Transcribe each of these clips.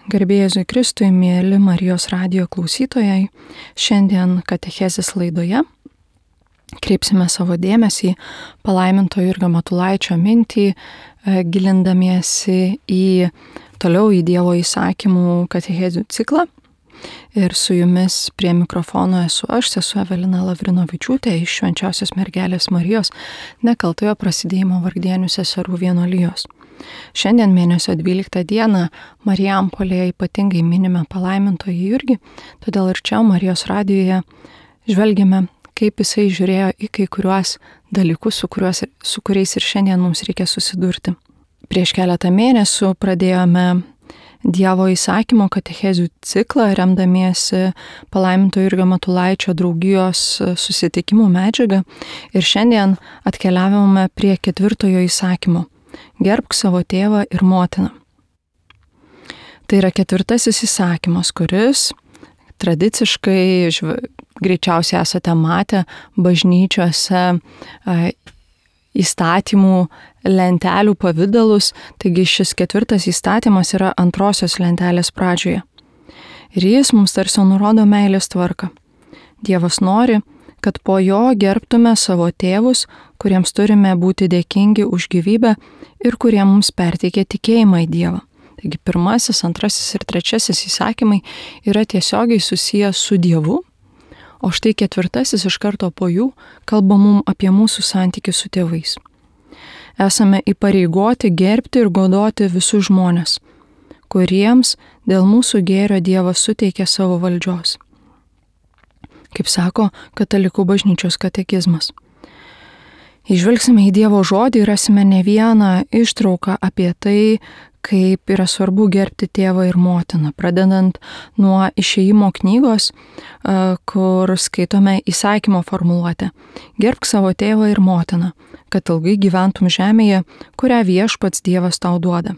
Garbė Jėzui Kristui, mėly Marijos radijo klausytojai, šiandien katechezės laidoje kreipsime savo dėmesį palaiminto Jurgio Matulaičio mintį, gilindamiesi toliau į Dievo įsakymų katechezių ciklą. Ir su jumis prie mikrofono esu aš, sesuo Evelina Lavrinovičiūtė iš Švenčiausios Mergelės Marijos Nekaltojo Prasidėjimo Vargdienių seserų vienuolijos. Šiandien mėnesio 12 dieną Marijampolėje ypatingai minime palaimintojį Jurgį, todėl ir čia Marijos radijoje žvelgiame, kaip jisai žiūrėjo į kai kuriuos dalykus, su kuriais ir šiandien mums reikia susidurti. Prieš keletą mėnesių pradėjome Dievo įsakymo katechezių ciklą, remdamiesi palaiminto Jurgio Matulaičio draugijos susitikimų medžiagą, ir šiandien atkeliavome prie 4 įsakymo. Gerbk savo tėvą ir motiną. Tai yra 4 įsakymas, kuris tradiciškai, greičiausiai esate matę, bažnyčiose įstatymų lentelių pavydalus, taigi šis 4 įstatymas yra 2 lentelės pradžioje. Ir jis mums tarsi nurodo meilės tvarką. Dievas nori, kad po jo gerbtume savo tėvus, kuriems turime būti dėkingi už gyvybę ir kurie mums perteikė tikėjimą į Dievą. Taigi 1, 2 ir 3 įsakymai yra tiesiogiai susijęs su Dievu, o štai 4 iš karto po jų kalba mums apie mūsų santykį su tėvais. Esame įpareigoti gerbti ir godoti visus žmones, kuriems dėl mūsų gėrio Dievas suteikė savo valdžios. Kaip sako Katalikų bažnyčios katekizmas. Įžvelgsime į Dievo žodį ir rasime ne vieną ištrauką apie tai, kaip yra svarbu gerbti tėvą ir motiną, pradedant nuo Išėjimo knygos, kur skaitome įsakymo formuluotę. Gerbk savo tėvą ir motiną, kad ilgai gyventum žemėje, kurią Viešpats Dievas tau duoda.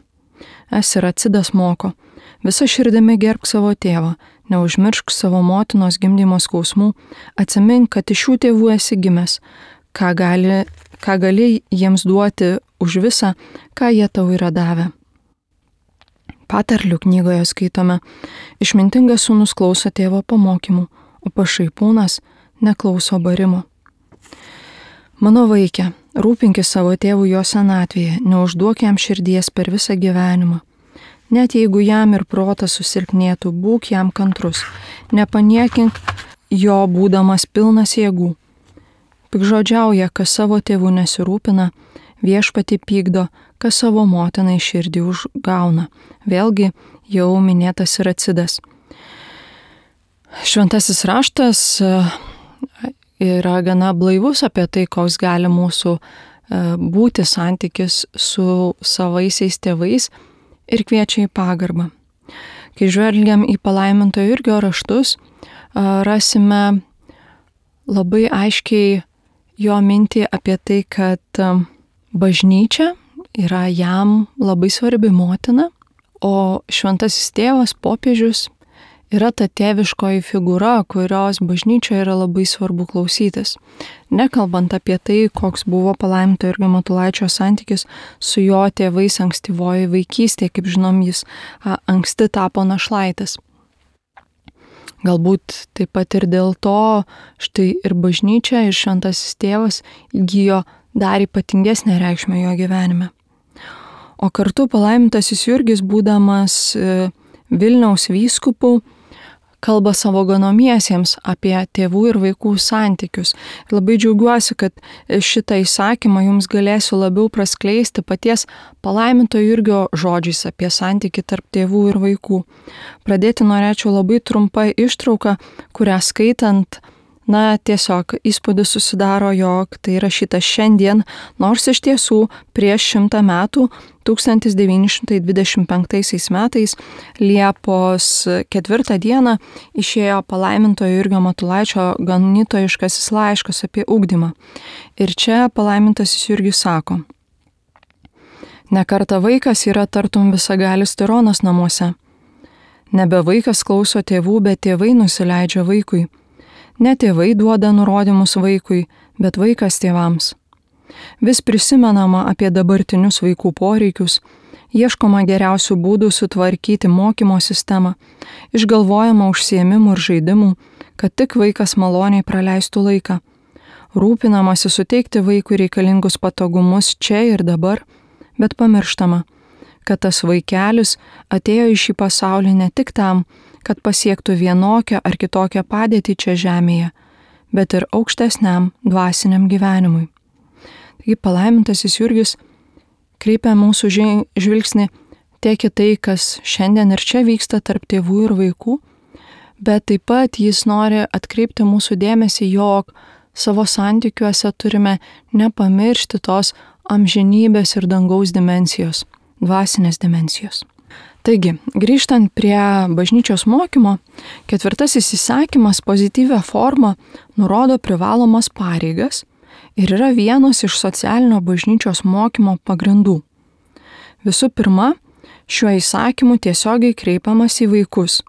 Siracidas moko, visa širdimi gerbk savo tėvą, neužmiršk savo motinos gimdymo skausmų, atsimink, kad iš šių tėvų esi gimęs, ką gali jiems duoti už visą, ką jie tau yra davę. Patarlių knygoje skaitome, išmintingas sūnus klauso tėvo pamokymų, o pašaipūnas neklauso barimo. Mano vaike, rūpinkis savo tėvų jo senatvėje, neužduok jam širdies per visą gyvenimą. Net jeigu jam ir protas susilpnėtų, būk jam kantrus, nepaniekink jo būdamas pilnas jėgų. Pikžodžiauja, kas savo tėvų nesirūpina, viešpatį pykdo, kas savo motinai širdį užgauna. Vėlgi jau minėtas Siracidas. Šventasis raštas yra gana blaivus apie tai, koks gali mūsų būti santykis su savaisiais tėvais ir kviečia į pagarbą. Kai žvelgiam į palaiminto Jurgio raštus, rasime labai aiškiai jo mintį apie tai, kad bažnyčia yra jam labai svarbi motina, o šventasis tėvas, popiežius, yra ta tėviškoji figūra, kurios bažnyčioje yra labai svarbu klausytis. Nekalbant apie tai, koks buvo palaiminto Jurgio Matulaičio santykis su jo tėvais ankstyvoje vaikystėje, kaip žinom, jis anksti tapo našlaitis. Galbūt taip pat ir dėl to štai ir bažnyčia, ir šventasis tėvas įgijo dar ypatingesnę reikšmę jo gyvenime. O kartu palaimintasis Jurgis, būdamas Vilniaus vyskupu, kalba savo ganomiesiems apie tėvų ir vaikų santykius. Labai džiaugiuosi, kad šitą įsakymą jums galėsiu labiau praskleisti paties palaiminto Jurgio žodžiais apie santykį tarp tėvų ir vaikų. Pradėti norėčiau labai trumpą ištrauką, kurią skaitant, tiesiog įspūdis susidaro, jog tai rašyta šiandien, nors iš tiesų prieš 100 metų, 1925 metais, Liepos 4 dieną, išėjo palaiminto Jurgio Matulaičio ganytojiškasis laiškas apie ugdymą. Ir čia palaimintasis Jurgis sako: ne kartą vaikas yra tartum visagalis tironas namuose. Nebe vaikas klauso tėvų, bet tėvai nusileidžia vaikui. Ne tėvai duoda nurodymus vaikui, bet vaikas tėvams. Vis prisimenama apie dabartinius vaikų poreikius, Ieškoma geriausių būdų sutvarkyti mokymo sistemą, išgalvojama užsiėmimų ir žaidimų, kad tik vaikas maloniai praleistų laiką. Rūpinamasi suteikti vaikui reikalingus patogumus čia ir dabar, bet pamirštama, kad tas vaikelis atėjo į šį pasaulį ne tik tam, kad pasiektų vienokią ar kitokią padėtį čia žemėje, bet ir aukštesniam dvasiniam gyvenimui. Taigi palaimintasis Jurgis kreipia mūsų žvilgsnį tiek į tai, kas šiandien ir čia vyksta tarp tėvų ir vaikų, bet taip pat jis nori atkreipti mūsų dėmesį, jog savo santykiuose turime nepamiršti tos amžinybės ir dangaus dimensijos, dvasinės dimensijos. Taigi, grįžtant prie bažnyčios mokymo, 4 įsakymas pozityvia forma nurodo privalomas pareigas ir yra vienas iš socialinio bažnyčios mokymo pagrindų. Visų pirma, šiuo įsakymu tiesiogiai kreipiamas į vaikus,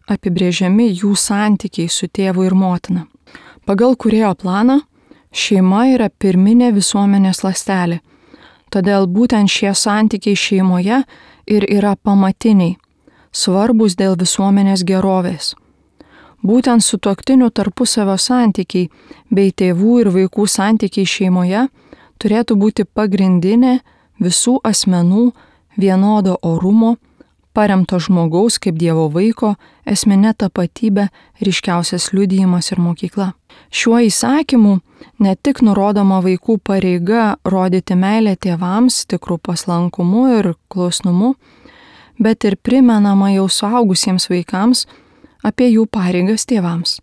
apibrėžiami jų santykiai su tėvu ir motina. Pagal Kūrėjo planą, šeima yra pirminė visuomenės ląstelė, todėl būtent šie santykiai šeimoje ir yra pamatiniai, svarbus dėl visuomenės gerovės. Būtent sutuoktinių tarpusavio santykiai bei tėvų ir vaikų santykiai šeimoje turėtų būti pagrindinė visų asmenų vienodo orumo, paremto žmogaus kaip Dievo vaiko, esminė tapatybė, ryškiausias liudijimas ir mokykla. Šiuo įsakymu ne tik nurodoma vaikų pareiga rodyti meilę tėvams tikrų paslankumu ir klusnumu, bet ir primenama jau suaugusiems vaikams apie jų pareigas tėvams.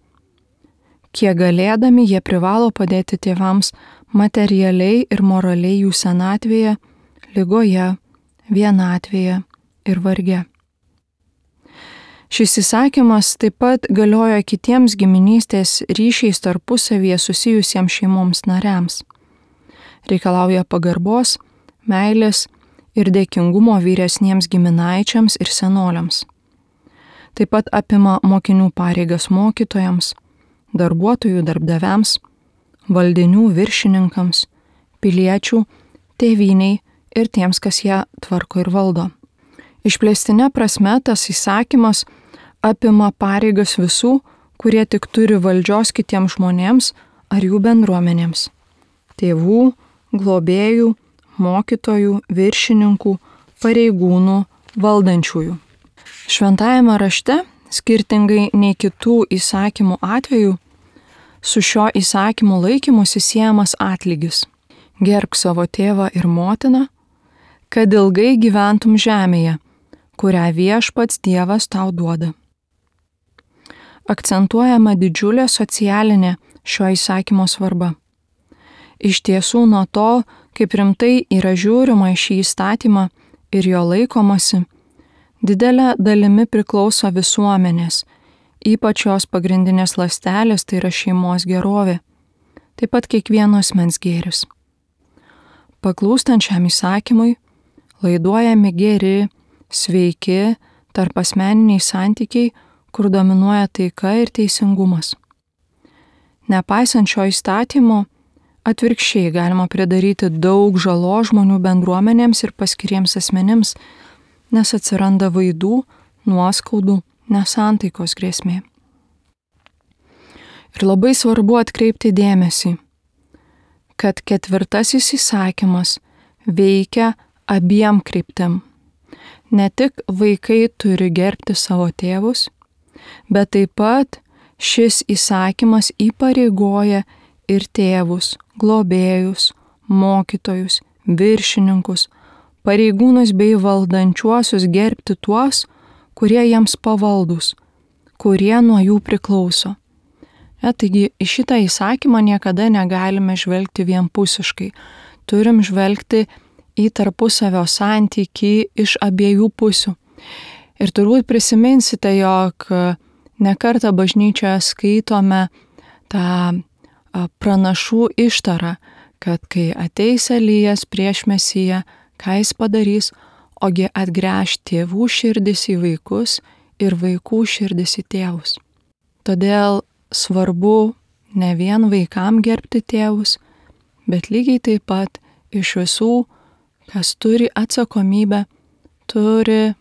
Kiek galėdami jie privalo padėti tėvams materialiai ir moraliai jų senatvėje, ligoje, vienatvėje ir varge. Šis įsakymas taip pat galioja kitiems giminystės ryšiais tarpusavyje susijusiems šeimoms nariams. Reikalauja pagarbos, meilės ir dėkingumo vyresniems giminaičiams ir senoliams. Taip pat apima mokinių pareigas mokytojams, darbuotojų darbdaviams, valdinių viršininkams, piliečių, tėvyniai ir tiems, kas ją tvarko ir valdo. Išplėstinė prasme tas įsakymas apima pareigas visų, kurie tik turi valdžios kitiems žmonėms ar jų bendruomenėms – tėvų, globėjų, mokytojų, viršininkų, pareigūnų, valdančiųjų. Šventajame rašte, skirtingai nei kitų įsakymų atveju, su šio įsakymu laikymusi siejamas atlygis. Gerbk savo tėvą ir motiną, kad ilgai gyventum žemėje, kurią Viešpats Dievas tau duoda. Akcentuojama didžiulė socialinė šio įsakymo svarba. Iš tiesų nuo to, kaip rimtai yra žiūrima į šį įstatymą ir jo laikomasi, didelė dalimi priklauso visuomenės, ypač jos pagrindinės ląstelės, tai yra šeimos gerovė, taip pat kiekvieno asmens gėris. Paklūstant šiam įsakymui, laiduojami geri, sveiki, tarpasmeniniai santykiai, kur dominuoja taika ir teisingumas. Nepaisant šio įstatymo, atvirkščiai galima pridaryti daug žalos žmonių bendruomenėms ir paskiriems asmenims, nes atsiranda vaidų, nuoskaudų, nesantaikos grėsmė. Ir labai svarbu atkreipti dėmesį, kad 4 įsakymas veikia abiem kryptim. Ne tik vaikai turi gerbti savo tėvus, bet taip pat šis įsakymas įpareigoja ir tėvus, globėjus, mokytojus, viršininkus, pareigūnus bei valdančiuosius gerbti tuos, kurie jiems pavaldus, kurie nuo jų priklauso. Taigi į šitą įsakymą niekada negalime žvelgti vienpusiškai. Turim žvelgti į tarpusavio santykį iš abiejų pusių. Ir turbūt prisiminsite, jog nekartą bažnyčioje skaitome tą pranašų ištarą, kad kai ateis Elijas prieš Mesiją, ką jis padarys, ogi atgręš tėvų širdis į vaikus ir vaikų širdis į tėvus. Todėl svarbu ne vien vaikam gerbti tėvus, bet lygiai taip pat iš visų, kas turi atsakomybę turi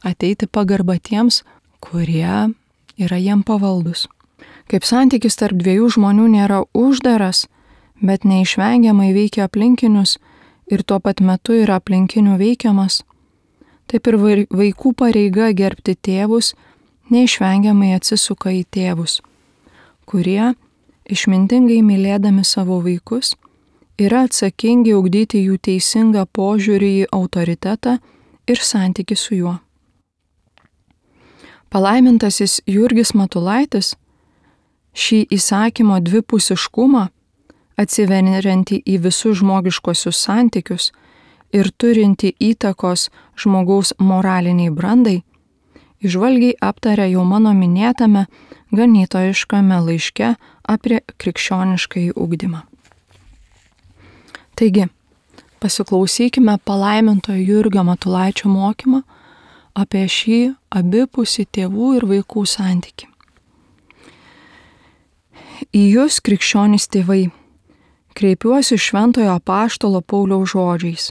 ateiti pagarba tiems, kurie yra jiem pavaldus. Kaip santykis tarp dviejų žmonių nėra uždaras, bet neišvengiamai veikia aplinkinius ir tuo pat metu yra aplinkinių veikiamas, taip ir vaikų pareiga gerbti tėvus neišvengiamai atsisuka į tėvus, kurie, išmintingai mylėdami savo vaikus, yra atsakingi ugdyti jų teisingą požiūrį į autoritetą ir santykį su juo. Palaimintasis Jurgis Matulaitis šį įsakymo dvipusiškumą, atsiveriantį į visus žmogiškosius santykius ir turinti įtakos žmogaus moraliniai brandai, įžvalgiai aptarė jau mano minėtame ganytojiškame laiške apie krikščioniškąjį ugdymą. Taigi, pasiklausykime palaimintojo Jurgio Matulaičio mokymą apie šį abipusį tėvų ir vaikų santykį. Į jūs, krikščionys tėvai, kreipiuosi šventojo apaštalo Pauliaus žodžiais.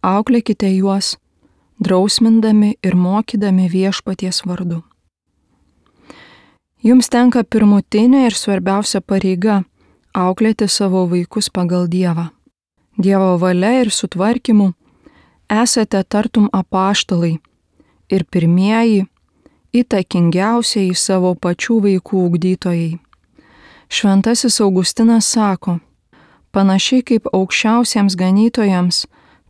Auklėkite juos, drausmindami ir mokydami viešpaties vardu. Jums tenka pirmutinė ir svarbiausia pareiga auklėti savo vaikus pagal Dievą. Dievo valia ir sutvarkymu esate tartum apaštalai ir pirmieji, įtakingiausiai savo pačių vaikų ugdytojai. Šventasis Augustinas sako, panašiai kaip aukščiausiems ganytojams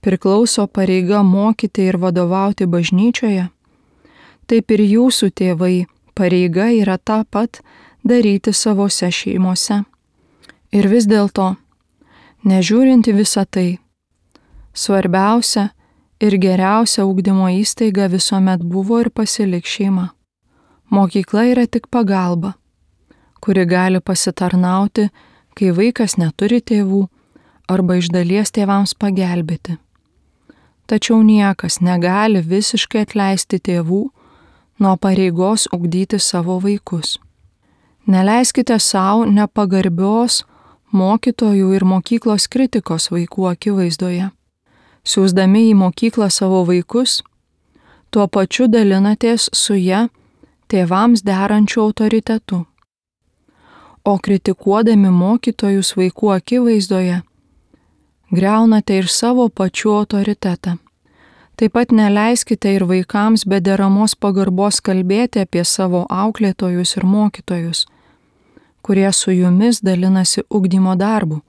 priklauso pareiga mokyti ir vadovauti bažnyčioje, taip ir jūsų tėvai pareiga yra tą pat daryti savose šeimose. Ir vis dėlto, nežiūrinti visą tai, svarbiausia ir geriausia ugdymo įstaiga visuomet buvo ir pasiliks šeima. Mokykla yra tik pagalba, kuri gali pasitarnauti, kai vaikas neturi tėvų arba iš dalies tėvams pagelbėti. Tačiau niekas negali visiškai atleisti tėvų nuo pareigos ugdyti savo vaikus. Neleiskite savo nepagarbios mokytojų ir mokyklos kritikos vaikų akivaizdoje. Siųsdami į mokyklą savo vaikus, tuo pačiu dalinatės su ja tėvams derančiu autoritetu. O kritikuodami mokytojus vaikų akivaizdoje, griaunate ir savo pačių autoritetą. Taip pat neleiskite ir vaikams be deramos pagarbos kalbėti apie savo auklėtojus ir mokytojus, kurie su jumis dalinasi ugdymo darbu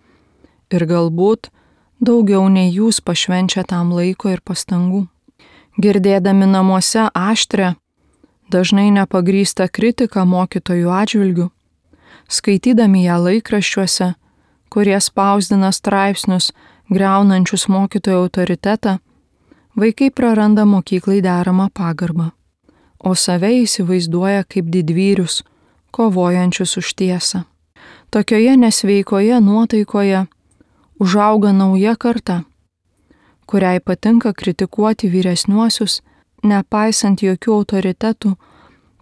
ir galbūt daugiau nei jūs pašvenčia tam laiko ir pastangų. Girdėdami namuose aštrią, dažnai nepagrįstą kritiką mokytojų atžvilgių, skaitydami ją laikraščiuose, kurie spausdina straipsnius griaunančius mokytojų autoritetą, vaikai praranda mokyklai deramą pagarbą, o save įsivaizduoja kaip didvyrius, kovojančius už tiesą. Tokioje nesveikoje nuotaikoje užauga nauja karta, kuriai patinka kritikuoti vyresniuosius, nepaisant jokių autoritetų,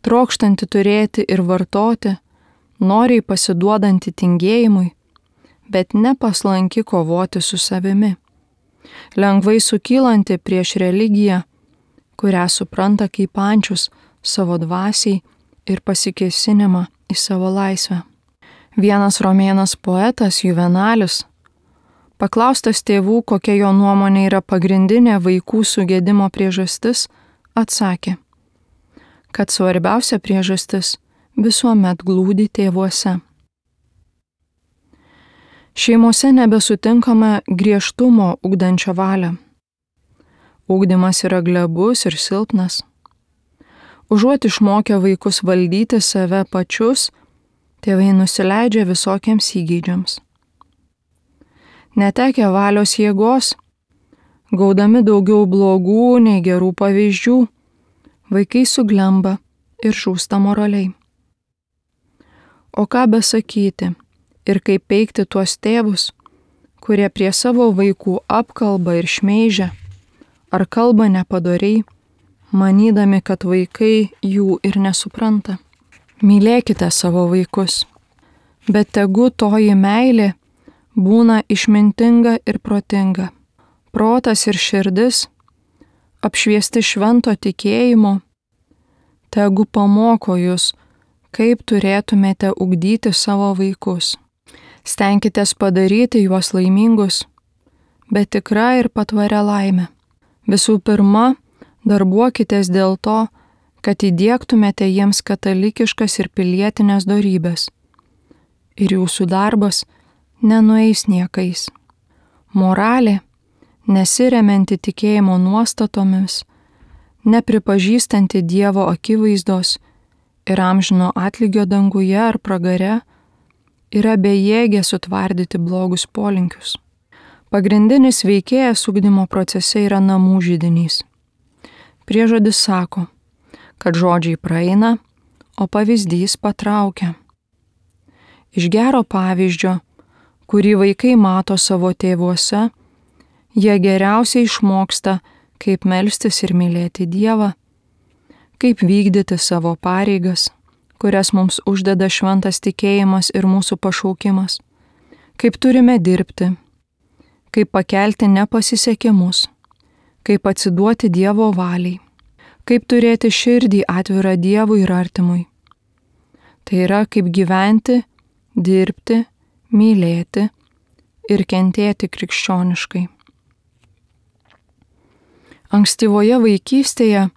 trokštanti turėti ir vartoti, noriai pasiduodanti tingėjimui, bet nepaslanki kovoti su savimi, lengvai sukylanti prieš religiją, kurią supranta kaip ančius savo dvasiai ir pasikėsinimą į savo laisvę. Vienas romėnas poetas Juvenalis, paklaustas tėvų, kokia jo nuomonė yra pagrindinė vaikų sugedimo priežastis, atsakė, kad svarbiausia priežastis visuomet glūdi tėvuose. Šeimose nebesutinkama griežtumo ugdančio valią. Ugdymas yra glebus ir silpnas. Užuot išmokę vaikus valdyti save pačius, tėvai nusileidžia visokiems įgeidžiams. Netekę valios jėgos, gaudami daugiau blogų nei gerų pavyzdžių, vaikai suglemba ir žūsta moraliai. O ką besakyti ir kaip peikti tuos tėvus, kurie prie savo vaikų apkalba ir šmeižia, ar kalba nepadoriai, manydami, kad vaikai jų ir nesupranta. Mylėkite savo vaikus, bet tegu toji meilė būna išmintinga ir protinga. Protas ir širdis apšviesti švento tikėjimo, tegu pamoko jūs, kaip turėtumėte ugdyti savo vaikus. Stenkitės padaryti juos laimingus, bet tikra ir patvaria laimė. Visų pirma, darbuokitės dėl to, kad įdiegtumėte jiems katalikiškas ir pilietinės dorybės. Ir jūsų darbas nenueis niekais. Moralė, nesiremianti tikėjimo nuostatomis, nepripažįstanti Dievo akivaizdos ir amžino atlygio danguje ar pragare, yra bejėgė sutvardyti blogus polinkius. Pagrindinis veikėjas ugdymo procese yra namų židinys. Priežodis sako, kad žodžiai praeina, o pavyzdys patraukia. Iš gero pavyzdžio, kurį vaikai mato savo tėvuose, jie geriausiai išmoksta, kaip melstis ir mylėti Dievą, kaip vykdyti savo pareigas, kurias mums uždeda šventas tikėjimas ir mūsų pašaukimas, kaip turime dirbti, kaip pakelti nepasisekimus, kaip atsiduoti Dievo valiai, kaip turėti širdį atvirą Dievui ir artimui. Tai yra, kaip gyventi, dirbti, mylėti ir kentėti krikščioniškai. Ankstyvoje vaikystėje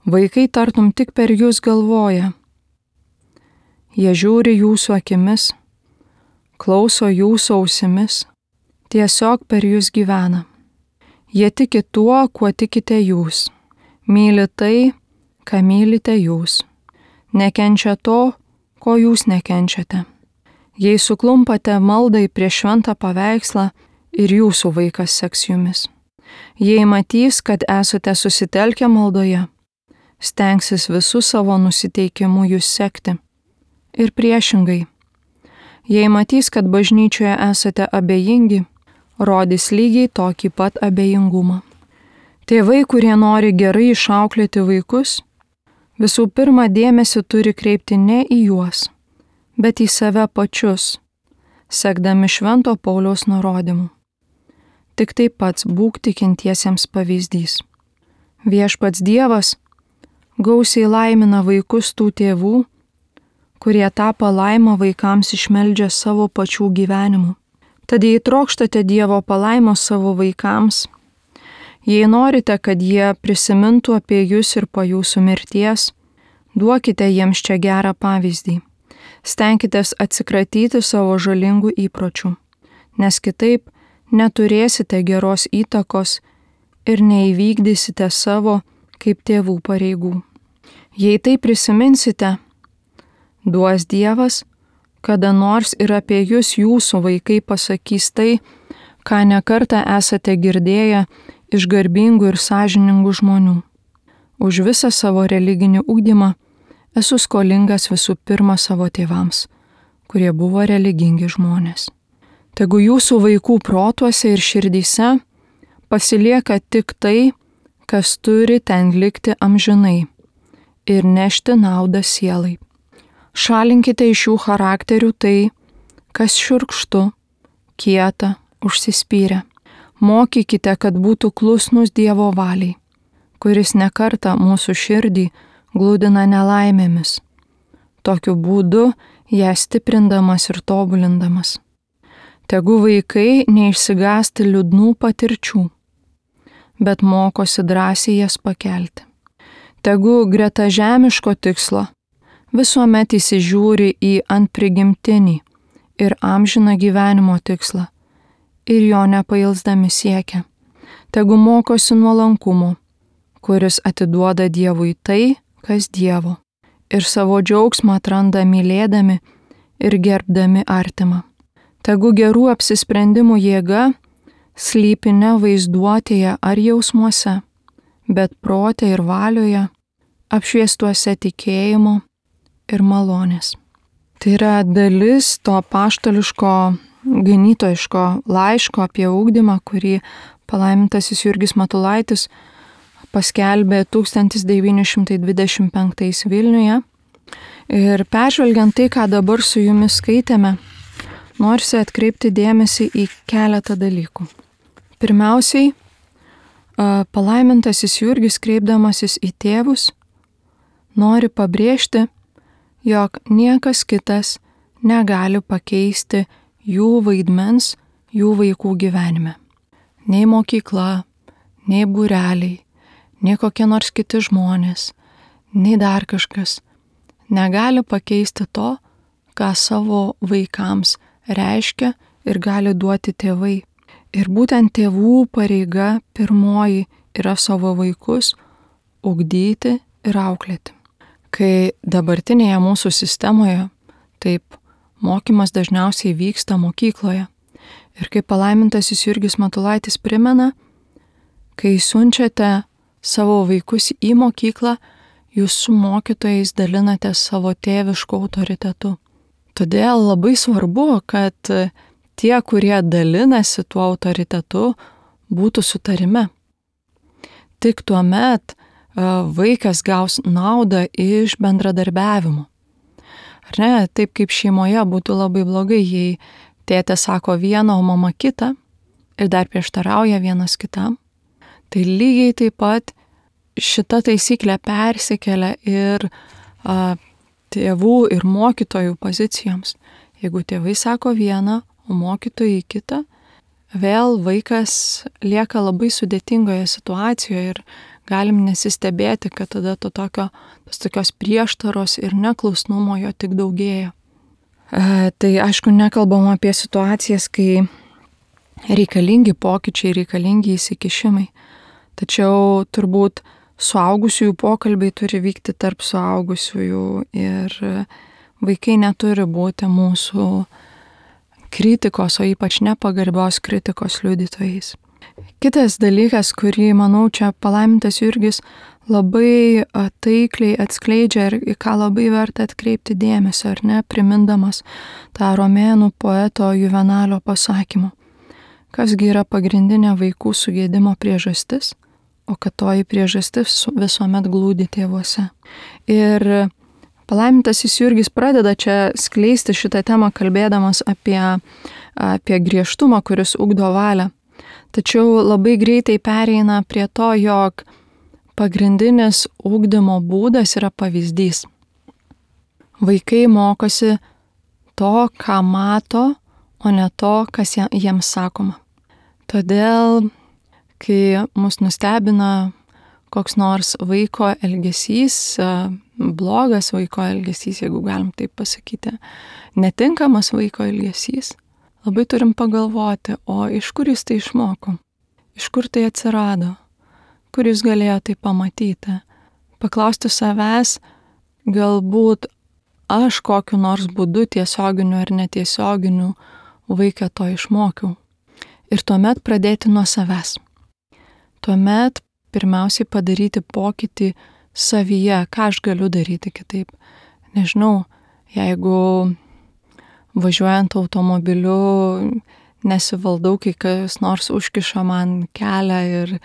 vaikai tartum tik per jūs galvoja. Jie žiūri jūsų akimis, klauso jūsų ausimis, tiesiog per jūs gyvena. Jie tiki tuo, kuo tikite jūs, myli tai, ką mylite jūs, nekenčia to, ko jūs nekenčiate. Jei suklumpate maldai prieš šventą paveikslą, ir jūsų vaikas seks jumis. Jei matys, kad esate susitelkę maldoje, stengsis visų savo nusiteikimu jūs sekti. Ir priešingai, jei matys, kad bažnyčioje esate abejingi, rodys lygiai tokį pat abejingumą. Tėvai, kurie nori gerai išauklėti vaikus, visų pirma dėmesį turi kreipti ne į juos, bet į save pačius, sekdami Švento Pauliaus nurodymu. Tik taip pats būk tikintiesiems pavyzdys. Viešpats Dievas gausiai laimina vaikus tų tėvų, kurie tą palaimą vaikams išmeldžia savo pačių gyvenimu. Tad jei trokštate Dievo palaimos savo vaikams, jei norite, kad jie prisimintų apie jūs ir po jūsų mirties, duokite jiems čia gerą pavyzdį. Stenkitės atsikratyti savo žalingų įpročių, nes kitaip neturėsite geros įtakos ir neįvykdysite savo kaip tėvų pareigų. Jei tai prisiminsite, duos Dievas, kada nors ir apie jūs jūsų vaikai pasakys tai, ką nekartą esate girdėję iš garbingų ir sąžiningų žmonių. Už visą savo religinį ugdymą esu skolingas visų pirma savo tėvams, kurie buvo religingi žmonės. Tegu jūsų vaikų protuose ir širdyse pasilieka tik tai, kas turi ten likti amžinai ir nešti naudą sielai. Šalinkite iš jų charakterių tai, kas šiurkštu, kieta, užsispyrę. Mokykite, kad būtų klusnus Dievo valiai, kuris nekartą mūsų širdį glūdina nelaimėmis, tokiu būdu ją stiprindamas ir tobulindamas. Tegu vaikai neišsigąsti liūdnų patirčių, bet mokosi drąsiai jas pakelti. Tegu greta žemiško tikslo visuomet įsižiūri į antprigimtinį ir amžiną gyvenimo tikslą ir jo nepailsdami siekia. Tegu mokosi nuolankumo, kuris atiduoda Dievui tai, kas Dievo, ir savo džiaugsmą atranda mylėdami ir gerbdami artimą. Tegu gerų apsisprendimų jėga slypi ne vaizduotėje ar jausmuose, bet prote ir valioje, apšviestuose tikėjimo ir malonės. Tai yra dalis to apaštališko ganytojiško laiško apie ugdymą, kurį palaimintasis Jurgis Matulaitis paskelbė 1925 Vilniuje. Ir peržvelgiant tai, ką dabar su jumis skaitėme, norisi atkreipti dėmesį į keletą dalykų. Pirmiausiai, Palaimintasis Jurgis, kreipdamasis į tėvus, nori pabrėžti, jog niekas kitas negali pakeisti jų vaidmens jų vaikų gyvenime. Nei mokykla, nei būreliai, nei kokie nors kiti žmonės, nei dar kažkas negali pakeisti to, ką savo vaikams reiškia ir gali duoti tėvai. Ir būtent tėvų pareiga pirmoji yra savo vaikus ugdyti ir auklėti. Kai dabartinėje mūsų sistemoje, taip, mokymas dažniausiai vyksta mokykloje. Ir kaip palaimintasis Jurgis Matulaitis primena, kai siunčiate savo vaikus į mokyklą, jūs su mokytojais dalinate savo tėvišku autoritetu. Todėl labai svarbu, kad tie, kurie dalinasi tuo autoritetu, būtų sutarime. Tik tuomet vaikas gaus naudą iš bendradarbiavimo. Ar ne? Taip kaip šeimoje būtų labai blogai, jei tėtė sako vieną, o mama kitą ir dar prieštarauja vienas kitam. Tai lygiai taip pat šita taisyklė persikelia ir tėvų ir mokytojų pozicijoms. Jeigu tėvai sako vieną, o mokytojai kitą, vėl vaikas lieka labai sudėtingoje situacijoje ir galim nesistebėti, kad tada tos tokios prieštaros ir neklusnumo jo tik daugėja. Tai aišku, nekalbam apie situacijas, kai reikalingi pokyčiai, reikalingi įsikišimai. Tačiau turbūt suaugusiųjų pokalbiai turi vykti tarp suaugusiųjų ir vaikai neturi būti mūsų kritikos, o ypač nepagarbios kritikos liudytojais. Kitas dalykas, kurį, manau, čia palaimintas Jurgis labai taikliai atskleidžia ir į ką labai verta atkreipti dėmesio, ar ne, primindamas tą romėnų poeto Juvenalio pasakymą. Kasgi yra pagrindinė vaikų sugėdimo priežastis, o kad toji priežastis visuomet glūdi tėvuose. Ir palaimintasis Jurgis pradeda čia skleisti šitą temą, kalbėdamas apie griežtumą, kuris ugdo valią. Tačiau labai greitai pereina prie to, jog pagrindinis ugdymo būdas yra pavyzdys. Vaikai mokosi to, ką mato, o ne to, kas jiems sakoma. Todėl, kai mus nustebina koks nors vaiko elgesys, blogas vaiko elgesys, jeigu galim taip pasakyti, netinkamas vaiko elgesys, labai turim pagalvoti, o iš kur jis tai išmoko, iš kur tai atsirado, kur jis galėjo tai pamatyti. Paklausti savęs, galbūt aš kokiu nors būdu, tiesioginiu ar netiesioginiu, vaiką to išmokiau. Ir tuomet pradėti nuo savęs. Tuomet pirmiausiai padaryti pokytį savyje, ką aš galiu daryti kitaip. Nežinau, jeigu važiuojant automobiliu nesivaldau, kai kas nors užkiša man kelią ir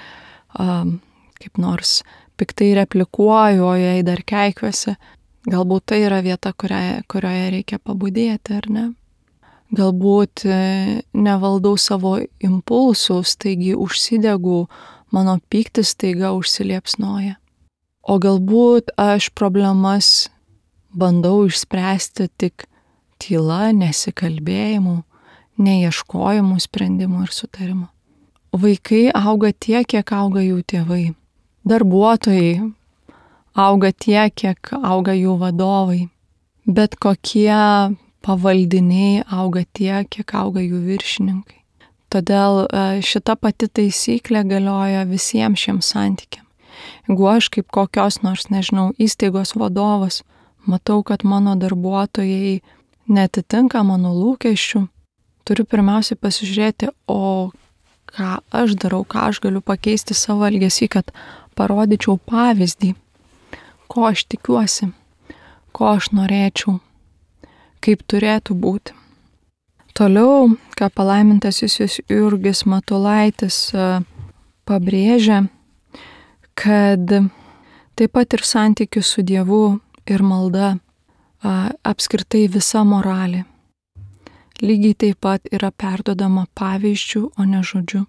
kaip nors piktai replikuoju, o jei dar keikiuosi, galbūt tai yra vieta, kurioje reikia pabudėti, ar ne? Galbūt nevaldau savo impulsų, staigi užsidegu, mano pyktis staiga užsiliepsnoja. O galbūt aš problemas bandau išspręsti tik tyla, nesikalbėjimu, neieškojimu sprendimų ir sutarimo. Vaikai auga tiek, kiek auga jų tėvai. Darbuotojai auga tiek, kiek auga jų vadovai. Bet kokie pavaldiniai auga tiek, kiek auga jų viršininkai. Todėl šita pati taisyklė galioja visiems šiems santykiams. Jeigu aš kaip kokios nors, nežinau, įstaigos vadovas matau, kad mano darbuotojai netitinka mano lūkesčių, turiu pirmiausiai pasižiūrėti, o ką aš darau, ką aš galiu pakeisti savo elgesį, kad parodyčiau pavyzdį, ko aš tikiuosi, ko aš norėčiau, kaip turėtų būti. Toliau, ką palaimintasis Jurgis Matulaitis pabrėžia, kad taip pat ir santykius su Dievu ir malda, apskritai visa moralė, lygiai taip pat yra perduodama pavyzdžių, o ne žodžiu.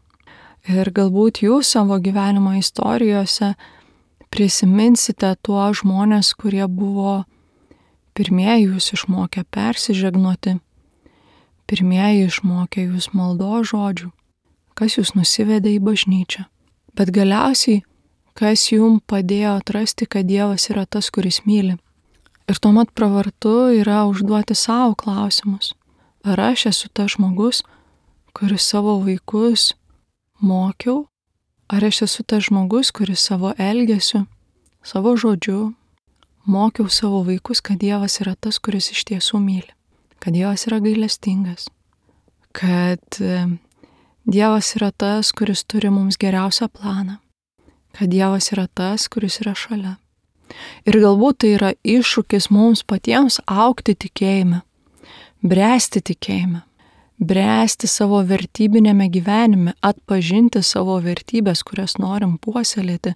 Ir galbūt jūs savo gyvenimo istorijose prisiminsite tuos žmonės, kurie buvo pirmieji jūs išmokę persižegnoti, pirmieji išmokė jūs maldos žodžių, kas jūs nusivedė į bažnyčią. Bet galiausiai, kas jums padėjo atrasti, kad Dievas yra tas, kuris myli. Ir tuomet pravartu yra užduoti savo klausimus. Ar aš esu tas žmogus, kuris savo vaikus mokiau? Ar aš esu tas žmogus, kuris savo elgesiu, savo žodžiu mokiau savo vaikus, kad Dievas yra tas, kuris iš tiesų myli, kad Dievas yra gailestingas, kad Dievas yra tas, kuris turi mums geriausią planą, kad Dievas yra tas, kuris yra šalia. Ir galbūt tai yra iššūkis mums patiems augti tikėjime, bręsti tikėjime, bręsti savo vertybinėme gyvenime, atpažinti savo vertybės, kurias norim puoselėti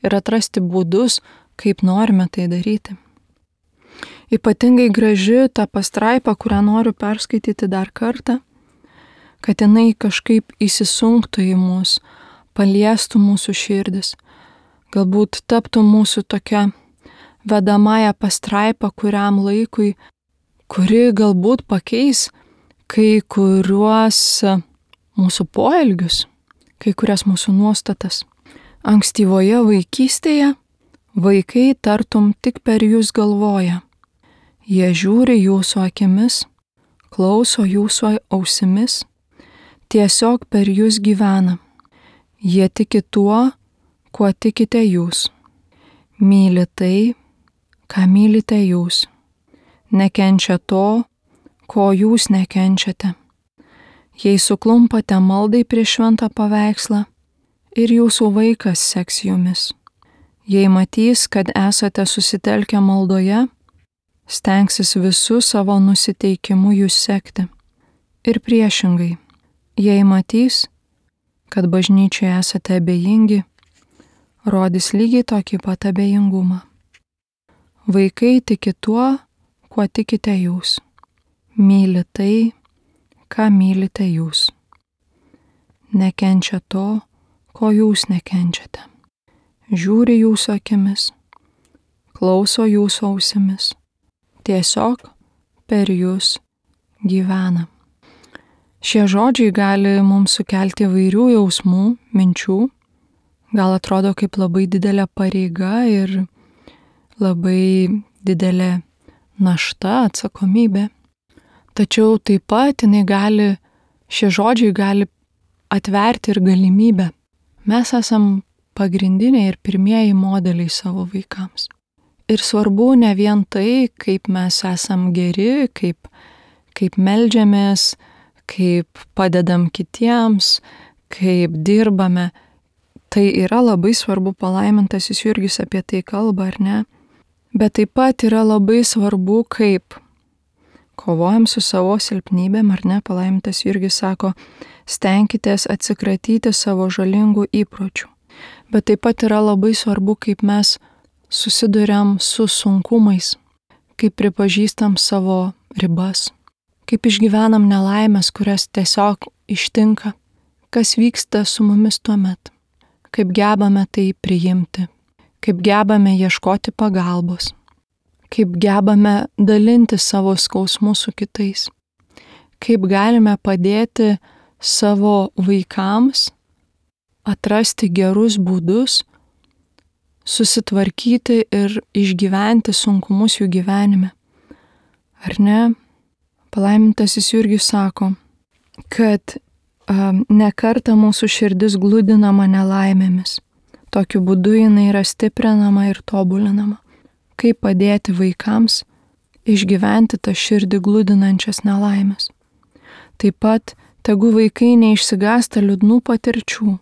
ir atrasti būdus, kaip norime tai daryti. Ypatingai graži ta pastraipa, kurią noriu perskaityti dar kartą, kad jinai kažkaip įsisunktų į mus, paliestų mūsų širdis, galbūt taptų mūsų tokia vedamąja pastraipa kuriam laikui, kuri galbūt pakeis kai kuriuos mūsų poelgius, kai kurias mūsų nuostatas. Ankstyvoje vaikystėje vaikai tartum tik per jūs galvoja. Jie žiūri jūsų akimis, klauso jūsų ausimis, tiesiog per jūs gyvena. Jie tiki tuo, kuo tikite jūs. Myli tai, ką mylite jūs. Nekenčia to, ko jūs nekenčiate. Jei suklumpate maldai prieš šventą paveikslą, ir jūsų vaikas seks jumis. Jei matys, kad esate susitelkę maldoje, stengsis visų savo nusiteikimu jūs sekti. Ir priešingai, jei matys, kad bažnyčioje esate abejingi, rodys lygiai tokį pat abejingumą. Vaikai tiki tuo, kuo tikite jūs. Myli tai, ką mylite jūs. Nekenčia to, ko jūs nekenčiate. Žiūri jūsų akimis, klauso jūsų ausimis. Tiesiog per jūs gyvena. Šie žodžiai gali mums sukelti įvairių jausmų, minčių. Gal atrodo kaip labai didelė pareiga ir labai didelė našta, atsakomybė. Tačiau taip pat šie žodžiai gali atverti ir galimybę. Mes esam pagrindiniai ir pirmieji modeliai savo vaikams. Ir svarbu ne vien tai, kaip mes esam geri, kaip meldžiamės, kaip padedam kitiems, kaip dirbame. Tai yra labai svarbu, palaimintasis Jurgis apie tai kalba, ar ne? Bet taip pat yra labai svarbu, kaip kovojam su savo silpnybėm, ar ne? Palaimintas Jurgis sako, stenkitės atsikratyti savo žalingų įpročių. Bet taip pat yra labai svarbu, kaip mes susiduriam su sunkumais, kaip pripažįstam savo ribas, kaip išgyvenam nelaimės, kurias tiesiog ištinka, kas vyksta su mumis tuomet. Kaip gebame tai priimti, kaip gebame ieškoti pagalbos, kaip gebame dalinti savo skausmu su kitais, kaip galime padėti savo vaikams atrasti gerus būdus, susitvarkyti ir išgyventi sunkumus jų gyvenime. Ar ne? Palaimintasis Jurgis sako, kad ne kartą mūsų širdis gludinama nelaimėmis. Tokiu būdu jinai yra stiprinama ir tobulinama. Kaip padėti vaikams išgyventi tą širdį gludinančias nelaimės. Taip pat tegu vaikai neišsigąsta liūdnų patirčių,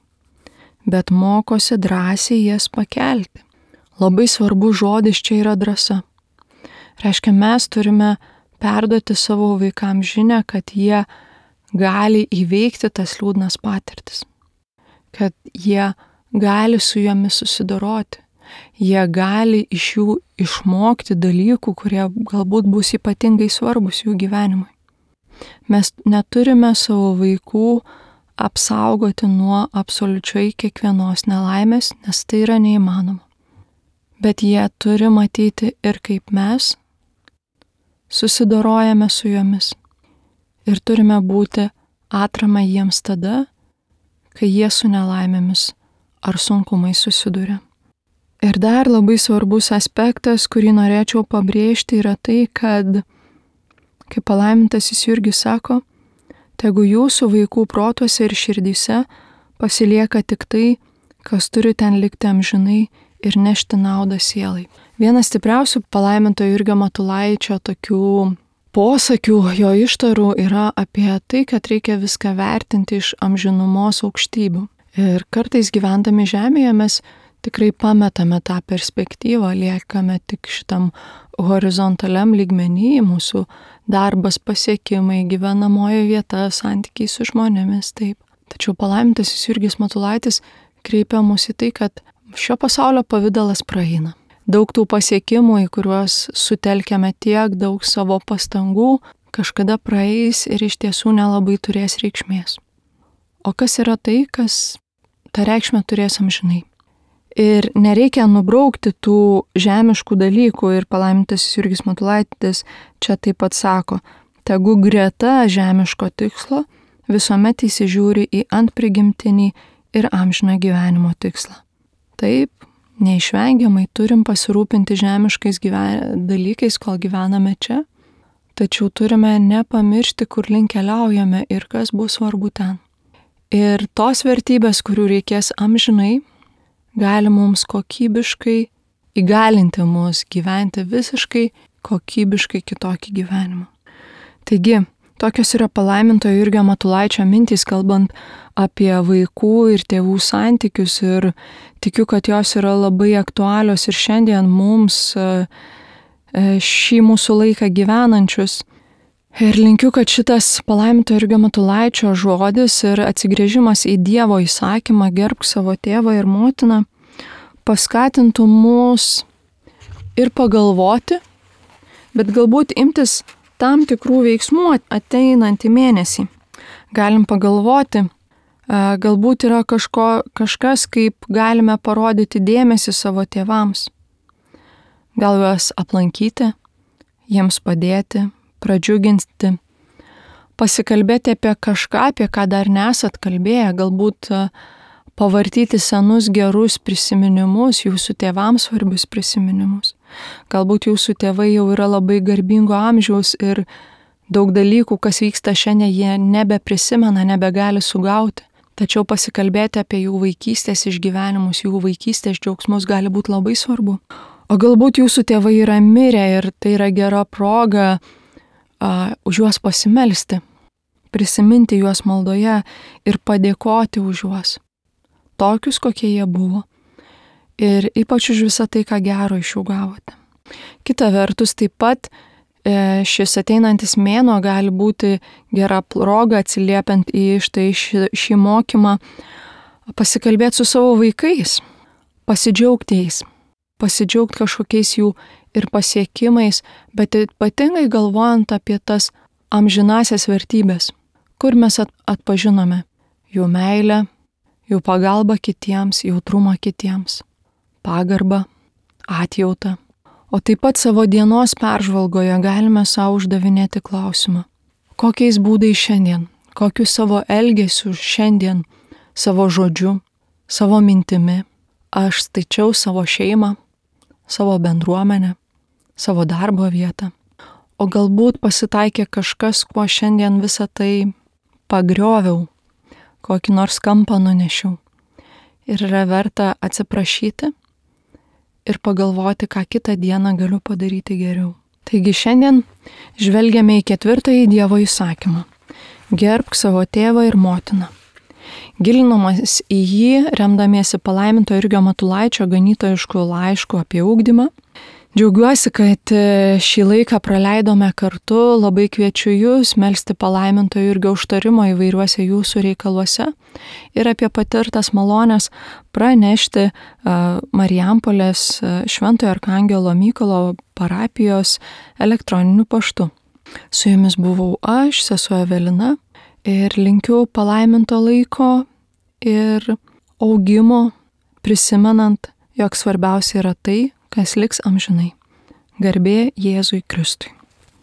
bet mokosi drąsiai jas pakelti. Labai svarbu žodis čia yra drąsa. Reiškia, mes turime perduoti savo vaikams žinią, kad jie gali įveikti tas liūdnas patirtis, kad jie gali su jomis susidoroti, jie gali iš jų išmokti dalykų, kurie galbūt bus ypatingai svarbus jų gyvenimui. Mes neturime savo vaikų apsaugoti nuo absoliučiai kiekvienos nelaimės, nes tai yra neįmanoma. Bet jie turi matyti ir kaip mes susidorojame su jomis. Ir turime būti atrama jiems tada, kai jie su nelaimėmis ar sunkumais susiduria. Ir dar labai svarbus aspektas, kurį norėčiau pabrėžti, yra tai, kad, kaip palaimintasis Jurgis sako, tegu jūsų vaikų protuose ir širdyse pasilieka tik tai, kas turi ten likti amžinai ir nešti naudą sielai. Vienas stipriausių palaiminto Jurgio Matulaičio tokių posakių, jo ištarų yra apie tai, kad reikia viską vertinti iš amžinumos aukštybių. Ir kartais gyvendami žemėje mes tikrai pametame tą perspektyvą, liekame tik šitam horizontaliam lygmenį, mūsų darbas, pasiekimai, gyvenamoji vieta, santykiai su žmonėmis, taip. Tačiau palaimintasis Jurgis Matulaitis kreipia mus į tai, kad šio pasaulio pavidalas praeina. Daug tų pasiekimų, į kuriuos sutelkiame tiek daug savo pastangų, kažkada praeis ir iš tiesų nelabai turės reikšmės. O kas yra tai, kas tą reikšmę turės amžinai? Ir nereikia nubraukti tų žemiškų dalykų ir palaimintasis Jurgis Matulaitis čia taip pat sako, tegu greta žemiško tikslo visuomet įsižiūri į antprigimtinį ir amžiną gyvenimo tikslą. Taip, neišvengiamai turim pasirūpinti žemiškais dalykais, kol gyvename čia, tačiau turime nepamiršti, kur link keliaujame ir kas bus svarbu ten. Ir tos vertybės, kurių reikės amžinai, gali mums kokybiškai įgalinti mus gyventi visiškai kokybiškai kitokį gyvenimą. Taigi, tokios yra palaiminto Jurgio Matulaičio mintys, kalbant apie vaikų ir tėvų santykius, ir tikiu, kad jos yra labai aktualios ir šiandien mums šį mūsų laiką gyvenančius. Ir linkiu, kad šitas palaiminto Jurgio Matulaičio žodis ir atsigręžimas į Dievo įsakymą gerbk savo tėvą ir motiną paskatintų mus ir pagalvoti, bet galbūt imtis tam tikrų veiksmų ateinantį mėnesį. Galim pagalvoti, galbūt yra kažkas, kaip galime parodyti dėmesį savo tėvams. Gal juos aplankyti, jiems padėti, pradžiuginti, pasikalbėti apie kažką, apie ką dar nesat kalbėję, galbūt pavartyti senus gerus prisiminimus, jūsų tėvams svarbius prisiminimus. Galbūt jūsų tėvai jau yra labai garbingo amžiaus ir daug dalykų, kas vyksta šiandien, jie nebeprisimena, nebegali sugauti. Tačiau pasikalbėti apie jų vaikystės išgyvenimus, jų vaikystės džiaugsmus gali būti labai svarbu. O galbūt jūsų tėvai yra mirę ir tai yra gera proga už juos pasimelsti, prisiminti juos maldoje ir padėkoti už juos, tokius, kokie jie buvo. Ir ypač už visą tai, ką gero iš jų gavote. Kita vertus, taip pat šis ateinantis mėnuo gali būti gera proga atsiliepiant į šį mokymą, pasikalbėti su savo vaikais, pasidžiaugti jais, pasidžiaugti kažkokiais jų ir pasiekimais, bet ypatingai galvojant apie tas amžinasias vertybės, kur mes atpažinome jų meilę, jų pagalbą kitiems, jautrumą kitiems, pagarbą, atjautą. O taip pat savo dienos peržvalgoje galime savo uždavinėti klausimą, kokiais būdais šiandien, kokiu savo elgesiu šiandien, savo žodžiu, savo mintimi aš staičiau savo šeimą, savo bendruomenę, savo darbo vietą. O galbūt pasitaikė kažkas, kuo šiandien visą tai pagrioviau, kokį nors kampą nunešiau. Ir yra verta atsiprašyti ir pagalvoti, ką kitą dieną galiu padaryti geriau. Taigi šiandien žvelgiame į 4. Dievo įsakymą. Gerbk savo tėvą ir motiną. Gilinamas į jį, remdamiesi palaiminto Jurgio Matulaičio ganytojišku laišku apie ugdymą. Džiaugiuosi, kad šį laiką praleidome kartu, labai kviečiu jūs melsti palaiminto Jurgio užtarimo įvairiuose jūsų reikaluose ir apie patirtas malonės pranešti Marijampolės Šventojo Arkangelo Mykolo parapijos elektroniniu paštu. Su jumis buvau aš, sesuo Evelina, ir linkiu palaiminto laiko ir augimo, prisimenant, jog svarbiausia yra tai, kas liks amžinai. Garbė Jėzui Kristui.